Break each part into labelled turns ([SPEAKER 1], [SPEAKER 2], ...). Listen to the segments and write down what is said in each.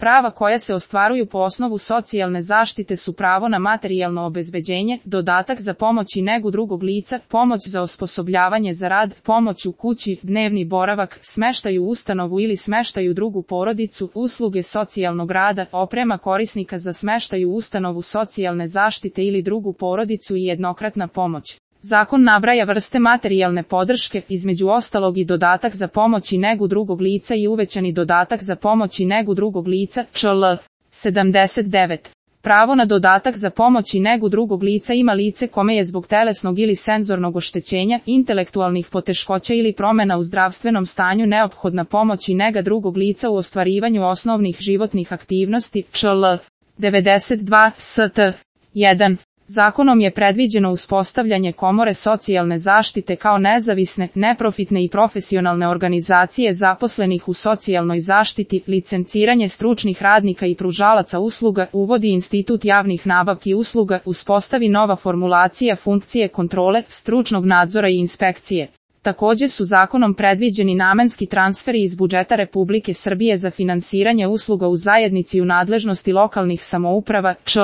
[SPEAKER 1] Prava koja se ostvaruju po osnovu socijalne zaštite su pravo na materijalno obezbeđenje, dodatak za pomoć i negu drugog lica, pomoć za osposobljavanje za rad, pomoć u kući, dnevni boravak, smeštaj u ustanovu ili smeštaj u drugu porodicu, usluge socijalnog rada, oprema korisnika za smeštaj u ustanovu socijalne zaštite ili drugu porodicu i jednokratna pomoć. Zakon nabraja vrste materijalne podrške, između ostalog i dodatak za pomoć i negu drugog lica i uvećani dodatak za pomoć i negu drugog lica, čl. 79. Pravo na dodatak za pomoć i negu drugog lica ima lice kome je zbog telesnog ili senzornog oštećenja, intelektualnih poteškoća ili promena u zdravstvenom stanju neophodna pomoć i nega drugog lica u ostvarivanju osnovnih životnih aktivnosti, čl. 92 st. 1. Zakonom je predviđeno uspostavljanje komore socijalne zaštite kao nezavisne, neprofitne i profesionalne organizacije zaposlenih u socijalnoj zaštiti, licenciranje stručnih radnika i pružalaca usluga, uvodi institut javnih nabavki usluga, uspostavi nova formulacija funkcije kontrole, stručnog nadzora i inspekcije. Također su zakonom predviđeni namenski transferi iz budžeta Republike Srbije za finansiranje usluga u zajednici u nadležnosti lokalnih samouprava, čl.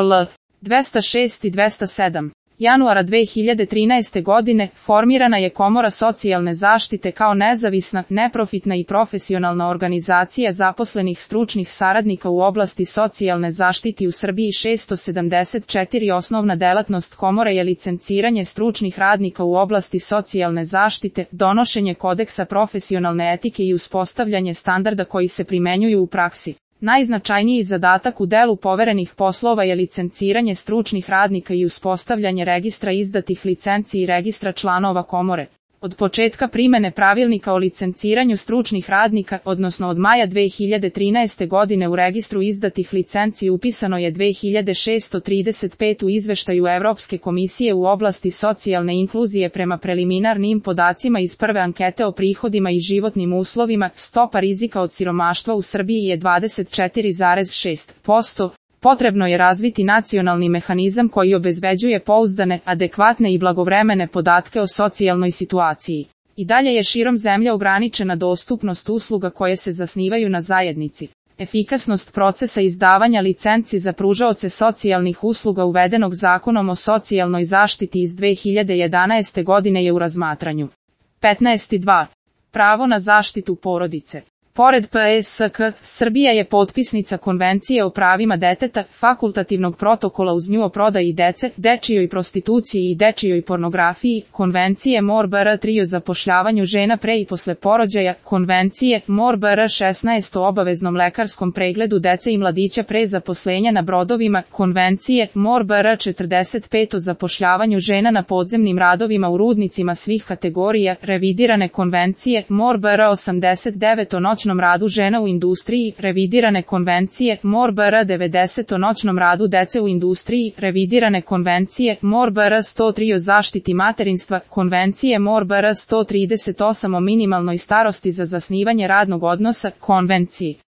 [SPEAKER 1] 206 i 207. Januara 2013. godine formirana je Komora socijalne zaštite kao nezavisna, neprofitna i profesionalna organizacija zaposlenih stručnih saradnika u oblasti socijalne zaštite u Srbiji. 674. Osnovna delatnost komore je licenciranje stručnih radnika u oblasti socijalne zaštite, donošenje kodeksa profesionalne etike i uspostavljanje standarda koji se primenjuju u praksi. Najznačajniji zadatak u delu poverenih poslova je licenciranje stručnih radnika i uspostavljanje registra izdatih licenci i registra članova komore. Od početka primene pravilnika o licenciranju stručnih radnika, odnosno od maja 2013. godine u registru izdatih licenci upisano je 2635 u izveštaju Evropske komisije u oblasti socijalne inkluzije prema preliminarnim podacima iz prve ankete o prihodima i životnim uslovima, stopa rizika od siromaštva u Srbiji je 24,6%. Potrebno je razviti nacionalni mehanizam koji obezbeđuje pouzdane, adekvatne i blagovremene podatke o socijalnoj situaciji. I dalje je širom zemlje ograničena dostupnost usluga koje se zasnivaju na zajednici. Efikasnost procesa izdavanja licenci za pružaoce socijalnih usluga uvedenog Zakonom o socijalnoj zaštiti iz 2011. godine je u razmatranju. 15.2. Pravo na zaštitu porodice. Pored PSK, Srbija je potpisnica Konvencije o pravima deteta, fakultativnog protokola uz nju o prodaji dece, dečijoj prostituciji i dečijoj pornografiji, Konvencije MOR-BR3 o zapošljavanju žena pre i posle porođaja, Konvencije MOR-BR16 o obaveznom lekarskom pregledu dece i mladića pre zaposlenja na brodovima, Konvencije MOR-BR45 o zapošljavanju žena na podzemnim radovima u rudnicima svih kategorija, revidirane Konvencije MOR-BR89 o noćnom radu žena u industriji, revidirane konvencije MOR-BR90 o noćnom radu dece u industriji, revidirane konvencije MOR-BR103 o zaštiti materinstva, konvencije MOR-BR138 o minimalnoj starosti za zasnivanje radnog odnosa, konvencije